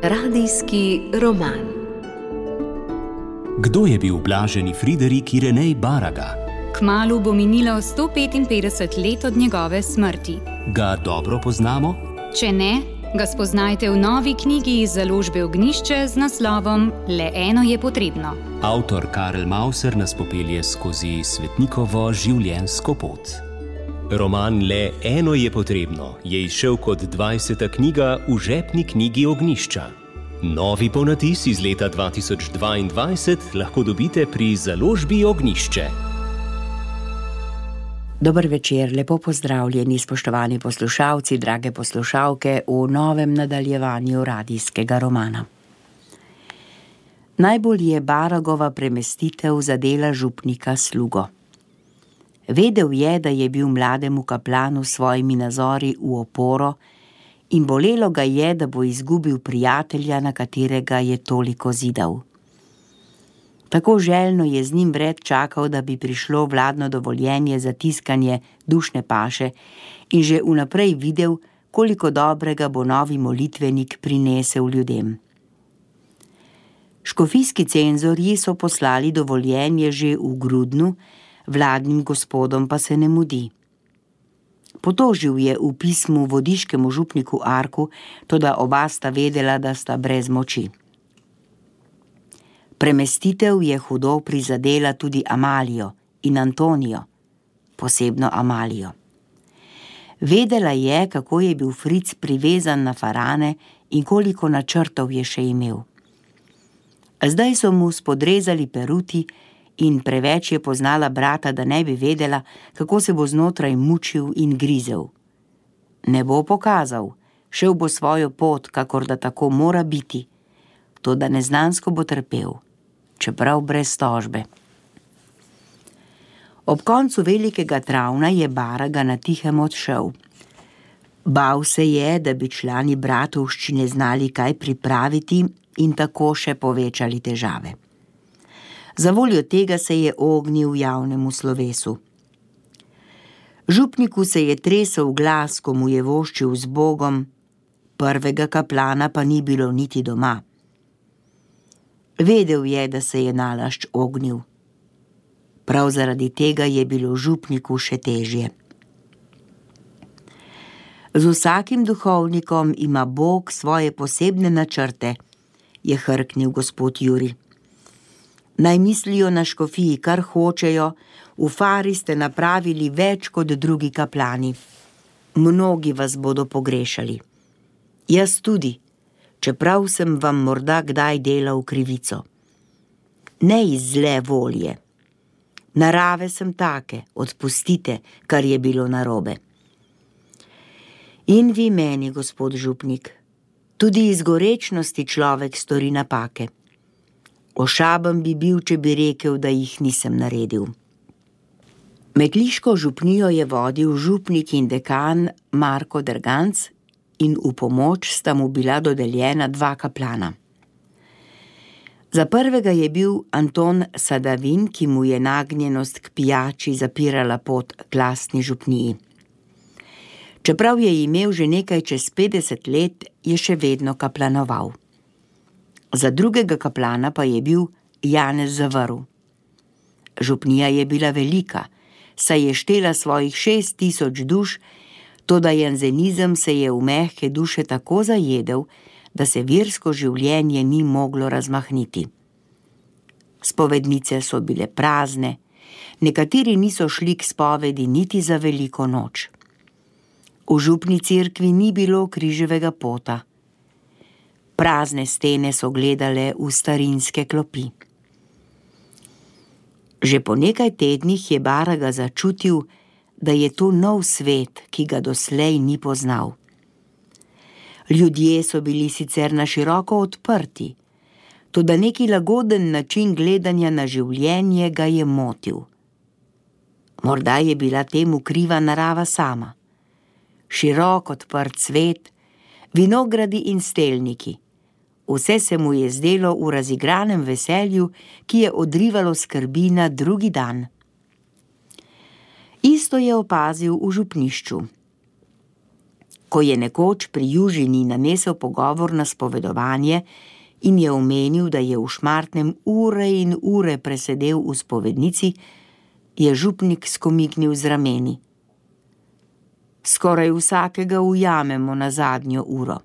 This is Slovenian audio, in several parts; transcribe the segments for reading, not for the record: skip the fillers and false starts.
Radijski roman. Kdo je bil blaženi Friderik Irenej Baraga? Kmalu bo minilo 155 let od njegove smrti. Ga dobro poznamo? Če ne, ga spoznajte v novi knjigi iz založbe Ognjišče z naslovom Le eno je potrebno. Avtor Karel Mauser nas popelje skozi svetnikovo življenjsko pot. Roman Le eno je potrebno je izšel kot 20. knjiga v žepni knjigi Ognjišča. Novi ponatis iz leta 2022 lahko dobite pri založbi Ognjišče. Dober večer, lepo pozdravljeni, spoštovani poslušalci, drage poslušalke, v novem nadaljevanju radijskega romana. Najbolj je Baragova premestitev zadela župnika Slugo. Vedel je, da je bil mlademu kaplanu s svojimi nazori v oporo in bolelo ga je, da bo izgubil prijatelja, na katerega je toliko zidal. Tako željno je z njim vred čakal, da bi prišlo vladno dovoljenje za tiskanje dušne paše in že vnaprej videl, koliko dobrega bo novi molitvenik prinesel ljudem. Škofijski cenzorji so poslali dovoljenje že v Grudnu, vladnim gospodom pa se ne mudi. Potožil je v pismu vodiškemu župniku Arku, toda oba sta vedela, da sta brez moči. Premestitev je hudo prizadela tudi Amalijo in Antonijo, posebno Amalijo. Vedela je, kako je bil Fric privezan na Farane in koliko načrtov je še imel. Zdaj so mu spodrezali peruti in preveč je poznala brata, da ne bi vedela, kako se bo znotraj mučil in grizel. Ne bo pokazal, šel bo svojo pot, kakor da tako mora biti, toda neznansko bo trpel, čeprav brez tožbe. Ob koncu velikega travna je Baraga na tihem odšel. Bal se je, da bi člani bratovščine znali kaj pripraviti in tako še povečali težave. Zavoljo tega se je ognil javnemu slovesu. Župniku se je tresel glas, ko mu je voščil z Bogom, prvega kaplana pa ni bilo niti doma. Vedel je, da se je nalašč ognil. Prav zaradi tega je bilo župniku še težje. Z vsakim duhovnikom ima Bog svoje posebne načrte, je hrknil gospod Juri. Naj mislijo na škofiji, kar hočejo, v Fari ste napravili več kot drugi kaplani. Mnogi vas bodo pogrešali. Jaz tudi, čeprav sem vam morda kdaj delal krivico. Ne iz zle volje. Narave sem take, odpustite, kar je bilo narobe. In vi meni, gospod župnik, tudi iz gorečnosti človek stori napake. Ošaben bi bil, če bi rekel, da jih nisem naredil. Metliško župnijo je vodil župnik in dekan Marko Derganc in v pomoč sta mu bila dodeljena 2 kaplana. Za prvega je bil Anton Sadavin, ki mu je nagnjenost k pijači zapirala pot k lastni župniji. Čeprav je imel že nekaj čez 50 let, je še vedno kaplanoval. Za drugega kaplana pa je bil Janez Zavrl. Župnija je bila velika, saj je štela svojih 6000 duš, toda janzenizem se je v mehke duše tako zajedel, da se versko življenje ni moglo razmahniti. Spovednice so bile prazne, nekateri niso šli k spovedi niti za veliko noč. V župni cerkvi ni bilo križevega pota. Prazne stene so gledale v starinske klopi. Že po nekaj tednih je Baraga začutil, da je to nov svet, ki ga doslej ni poznal. Ljudje so bili sicer na široko odprti, toda neki lagoden način gledanja na življenje ga je motil. Morda je bila temu kriva narava sama. Širok odprt svet, vinogradi in stelniki. Vse se mu je zdelo v razigranem veselju, ki je odrivalo skrbi na drugi dan. Isto je opazil v župnišču. Ko je nekoč pri Južini nanesel pogovor na spovedovanje in je omenil, da je v Šmartnem ure in ure presedel v spovednici, je župnik skomignil z rameni. Skoraj vsakega ujamemo na zadnjo uro.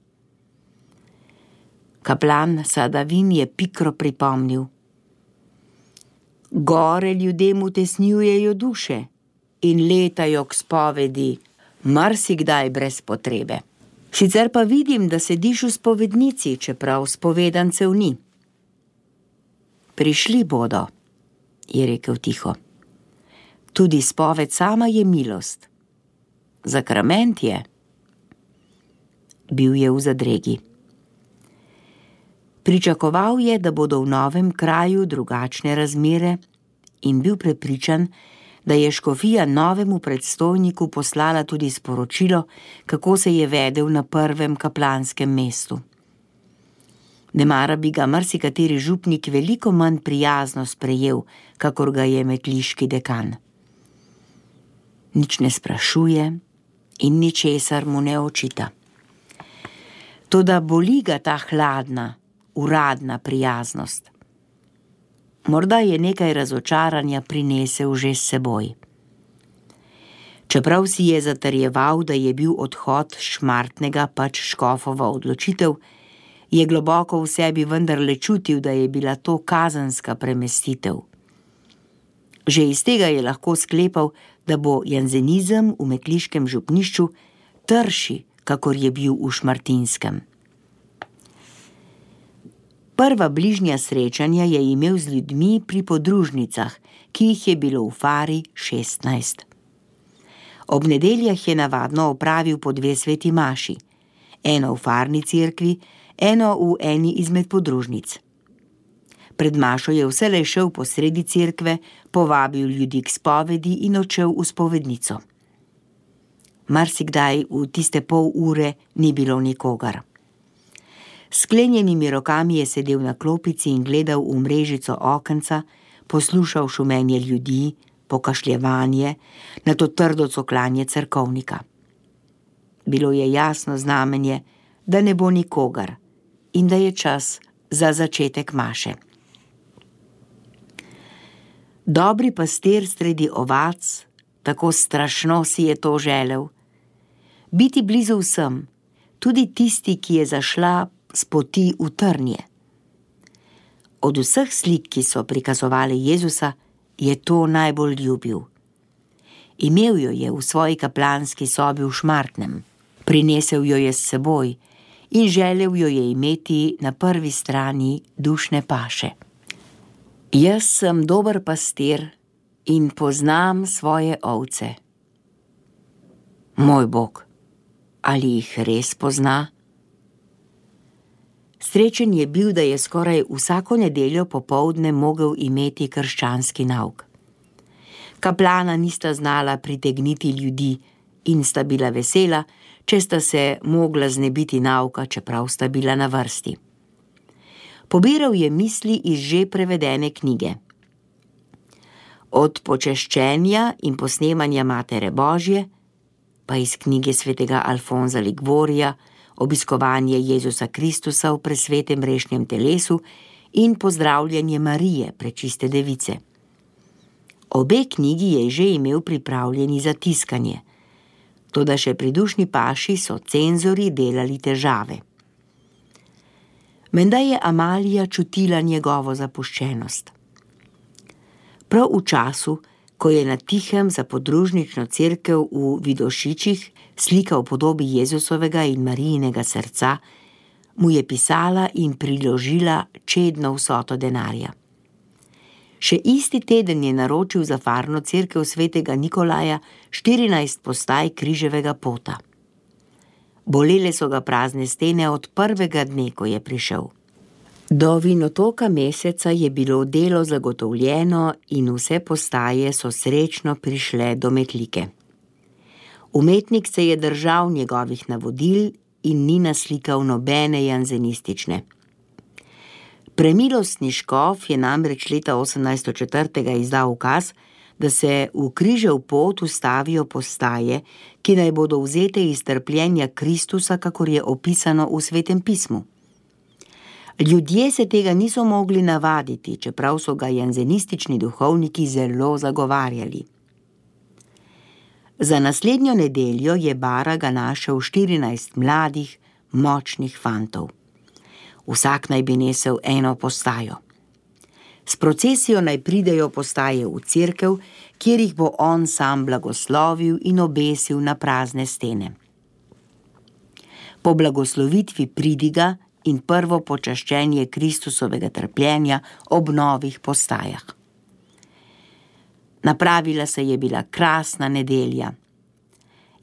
Kaplan Sadavin je pikro pripomnil. Gore ljudem utesnjujejo duše in letajo k spovedi, marsikdaj brez potrebe. Sicer pa vidim, da sediš v spovednici, čeprav spovedancev ni. Prišli bodo, je rekel tiho. Tudi spoved sama je milost. Zakrament je. Bil je v zadregi. Pričakoval je, da bodo v novem kraju drugačne razmere in bil prepričan, da je škofija novemu predstojniku poslala tudi sporočilo, kako se je vedel na prvem kaplanskem mestu. Nemara bi ga marsikateri župnik veliko manj prijazno sprejel, kakor ga je metliški dekan. Nič ne sprašuje in ničesar mu ne očita. Toda boli ga ta hladna, uradna prijaznost. Morda je nekaj razočaranja prinesel že s seboj. Čeprav si je zatrjeval, da je bil odhod Šmartnega pač škofova odločitev, je globoko v sebi vendarle čutil, da je bila to kazenska premestitev. Že iz tega je lahko sklepal, da bo janzenizem v metliškem župnišču trši, kakor je bil v Šmartinskem. Prva bližnja srečanja je imel z ljudmi pri podružnicah, ki jih je bilo v Fari 16. Ob nedeljah je navadno opravil po 2 sveti maši, eno v Farni cerkvi, eno v eni izmed podružnic. Pred mašo je vselej šel po sredi cerkve, povabil ljudi k spovedi in odšel v spovednico. Marsikdaj v tiste pol ure ni bilo nikogar. Sklenjenimi rokami je sedel na klopici in gledal v mrežico okenca, poslušal šumenje ljudi, pokašljevanje, nato trdo cokljanje cerkovnika. Bilo je jasno znamenje, da ne bo nikogar in da je čas za začetek maše. Dobri pastir sredi ovac, tako strašno si je to želel. Biti blizu vsem, tudi tisti, ki je zašla s poti v trnje. Od vseh slik, ki so prikazovali Jezusa, je to najbolj ljubil. Imel jo je v svoji kaplanski sobi v Šmartnem, prinesel jo je s seboj in želel jo je imeti na prvi strani dušne paše. Jaz sem dober pastir in poznam svoje ovce. Moj Bog, ali jih res pozna? Srečen je bil, da je skoraj vsako nedeljo popoldne mogel imeti krščanski nauk. Kaplana nista znala pritegniti ljudi in sta bila vesela, če sta se mogla znebiti nauka, čeprav sta bila na vrsti. Pobiral je misli iz že prevedene knjige. Od počeščenja in posnemanja Matere Božje, pa iz knjige svetega Alfonza Ligvorija, obiskovanje Jezusa Kristusa v presvetem rešnjem telesu in pozdravljanje Marije, prečiste device. Obe knjigi je že imel pripravljeni za tiskanje, toda še pri dušni paši so cenzorji delali težave. Menda je Amalija čutila njegovo zapuščenost. Prav v času, ko je na tihem za podružnično cerkev v Vidošičih slika v podobi Jezusovega in Marijinega srca, mu je pisala in priložila čedno vsoto denarja. Še isti teden je naročil za farno cerkev svetega Nikolaja 14 postaj križevega pota. Bolele so ga prazne stene od prvega dne, ko je prišel. Do vinotoka meseca je bilo delo zagotovljeno in vse postaje so srečno prišle do Metlike. Umetnik se je držal njegovih navodil in ni naslikal nobene janzenistične. Premilostni škof je namreč leta 1804. izdal ukaz, da se v križev pot ustavijo postaje, ki naj bodo vzete iz trpljenja Kristusa, kakor je opisano v Svetem pismu. Ljudje se tega niso mogli navaditi, čeprav so ga janzenistični duhovniki zelo zagovarjali. Za naslednjo nedeljo je Baraga našel 14 mladih, močnih fantov. Vsak naj bi nesel eno postajo. S procesijo naj pridejo postaje v cerkev, kjer jih bo on sam blagoslovil in obesil na prazne stene. Po blagoslovitvi pridiga in prvo počaščenje Kristusovega trpljenja ob novih postajah. Napravila se je bila krasna nedelja.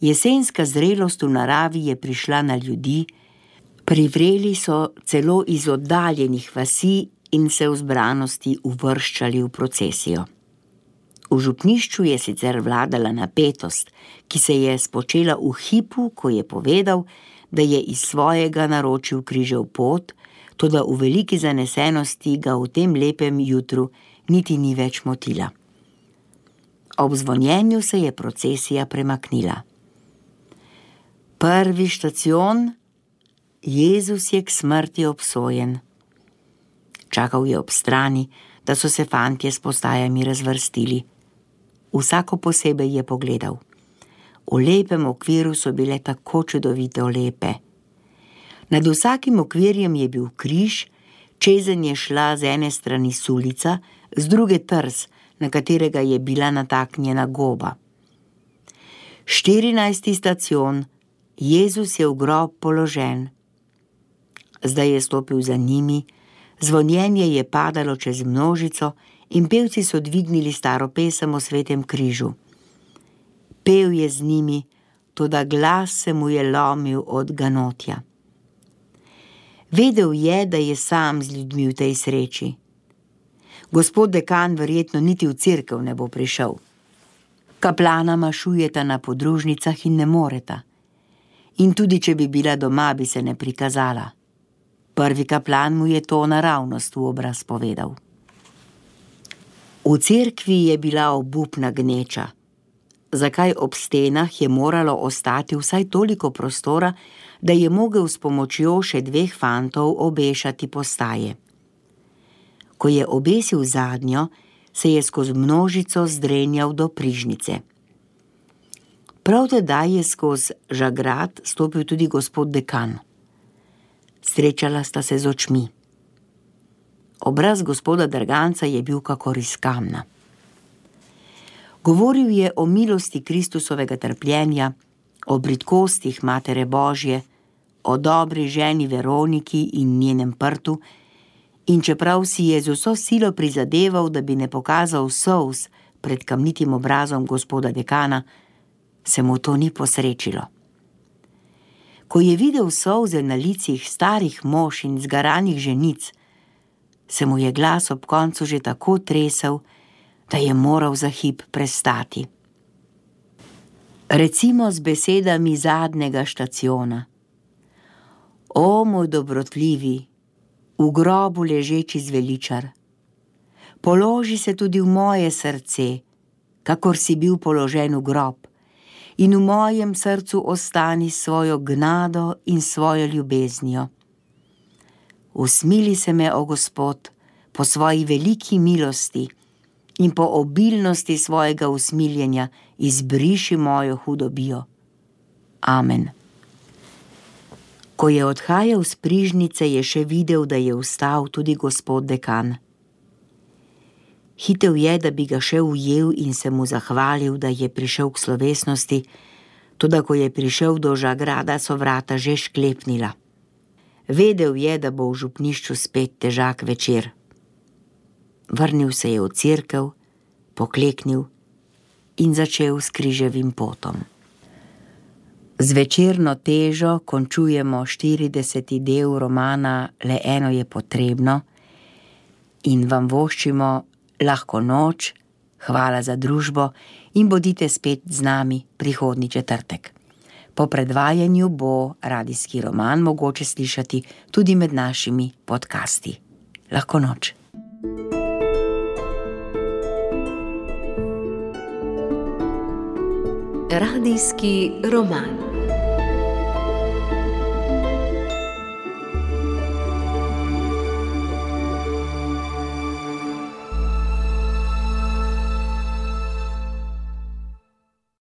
Jesenska zrelost v naravi je prišla na ljudi, privreli so celo iz oddaljenih vasi in se v zbranosti uvrščali v procesijo. V župnišču je sicer vladala napetost, ki se je spočela v hipu, ko je povedal, da je iz svojega naročil križev pot, toda v veliki zanesenosti ga v tem lepem jutru niti ni več motila. Ob zvonjenju se je procesija premaknila. Prvi štacion, Jezus je k smrti obsojen. Čakal je ob strani, da so se fantje s postajami razvrstili. Vsako posebej je pogledal. V lepem okviru so bile tako čudovito lepe. Nad vsakim okvirjem je bil križ, čezenj je šla z ene strani sulica, z druge trs, na katerega je bila nataknjena goba. 14. stacion, Jezus je v grob položen. Zdaj je stopil za njimi, zvonjenje je padalo čez množico in pevci so dvignili staro pesem o svetem križu. Pel je z njimi, toda glas se mu je lomil od ganotja. Vedel je, da je sam z ljudmi v tej sreči. Gospod dekan verjetno niti v cerkev ne bo prišel. Kaplana mašujeta na podružnicah in ne moreta. In tudi, če bi bila doma, bi se ne prikazala. Prvi kaplan mu je to naravnost v obraz povedal. V cerkvi je bila obupna gneča. Zakaj ob stenah je moralo ostati vsaj toliko prostora, da je mogel s pomočjo še 2 fantov obešati postaje. Ko je obesil zadnjo, se je skozi množico zdrenjal do prižnice. Prav tedaj je skozi žagrat stopil tudi gospod dekan. Srečala sta se z očmi. Obraz gospoda Drganca je bil kakor iz kamna. Govoril je o milosti Kristusovega trpljenja, o bridkostih Matere Božje, o dobri ženi Veroniki in njenem prtu, in čeprav si je z vso silo prizadeval, da bi ne pokazal solz pred kamnitim obrazom gospoda dekana, se mu to ni posrečilo. Ko je videl solze na licih starih mož in zgaranih ženic, se mu je glas ob koncu že tako tresel, da je moral za hip prestati. Recimo z besedami zadnjega štaciona. O, moj dobrotljivi, v grobu ležeči zveličar, položi se tudi v moje srce, kakor si bil položen v grob, in v mojem srcu ostani svojo gnado in svojo ljubeznijo. Usmili se me, o Gospod, po svoji veliki milosti in po obilnosti svojega usmiljenja izbriši mojo hudobijo. Amen. Ko je odhajal s prižnice, je še videl, da je vstal tudi gospod dekan. Hitel je, da bi ga še ujel in se mu zahvalil, da je prišel k slovesnosti, toda ko je prišel do žagrada, so vrata že šklepnila. Vedel je, da bo v župnišču spet težak večer. Vrnil se je v cerkev, pokleknil in začel s križevim potom. Z večerno težo končujemo 40. del romana Le eno je potrebno in vam voščimo lahko noč, hvala za družbo in bodite spet z nami prihodnji četrtek. Po predvajanju bo radijski roman mogoče slišati tudi med našimi podcasti. Lahko noč. Radijski roman.